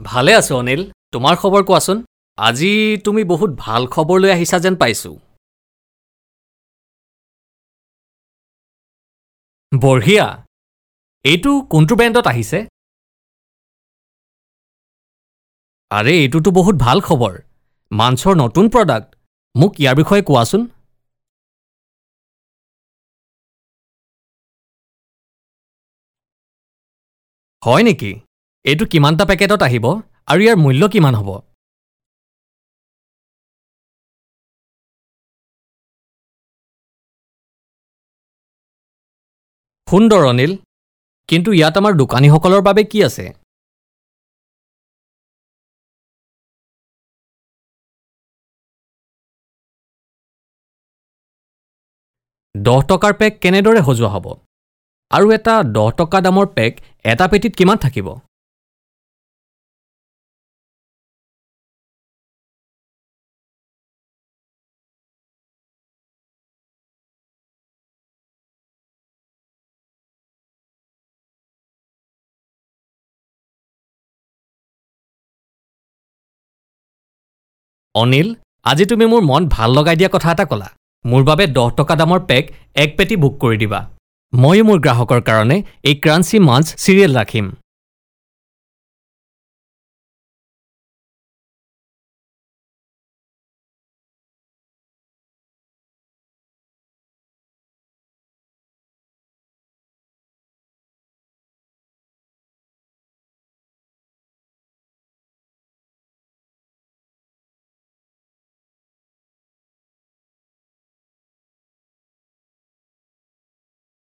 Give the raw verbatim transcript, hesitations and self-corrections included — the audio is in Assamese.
ভালে আছো অনিল, তোমাৰ খবৰ কোৱাচোন? আজি তুমি বহুত ভাল খবৰ লৈ আহিছা যেন পাইছো। বঢ়িয়া! এইটো কোনটো ব্ৰেণ্ডত আহিছে? আৰে, এইটোতো বহুত ভাল খবৰ। মাঞ্চৰ নতুন প্ৰডাক্ট। মোক ইয়াৰ বিষয়ে কোৱাচোন। হয় নেকি? এইটো কিমানটা পেকেটত আহিব আৰু ইয়াৰ মূল্য কিমান হ'ব? সুন্দৰ অনিল, কিন্তু ইয়াত আমাৰ দোকানীসকলৰ বাবে কি আছে? দহ টকাৰ পেক কেনেদৰে সজোৱা হ'ব? আৰু এটা দহ টকা দামৰ পেক এটা পেটিত কিমান থাকিব? অনিল, আজি তুমি মোৰ মন ভাল লগাই দিয়া কথা এটা ক'লা। মোৰ বাবে দহ টকা দামৰ পেক এক পেটি বুক কৰি দিবা। ময়ো মোৰ গ্ৰাহকৰ কাৰণে এই ক্ৰাঞ্চি মাঞ্চ চিৰিয়েল ৰাখিম।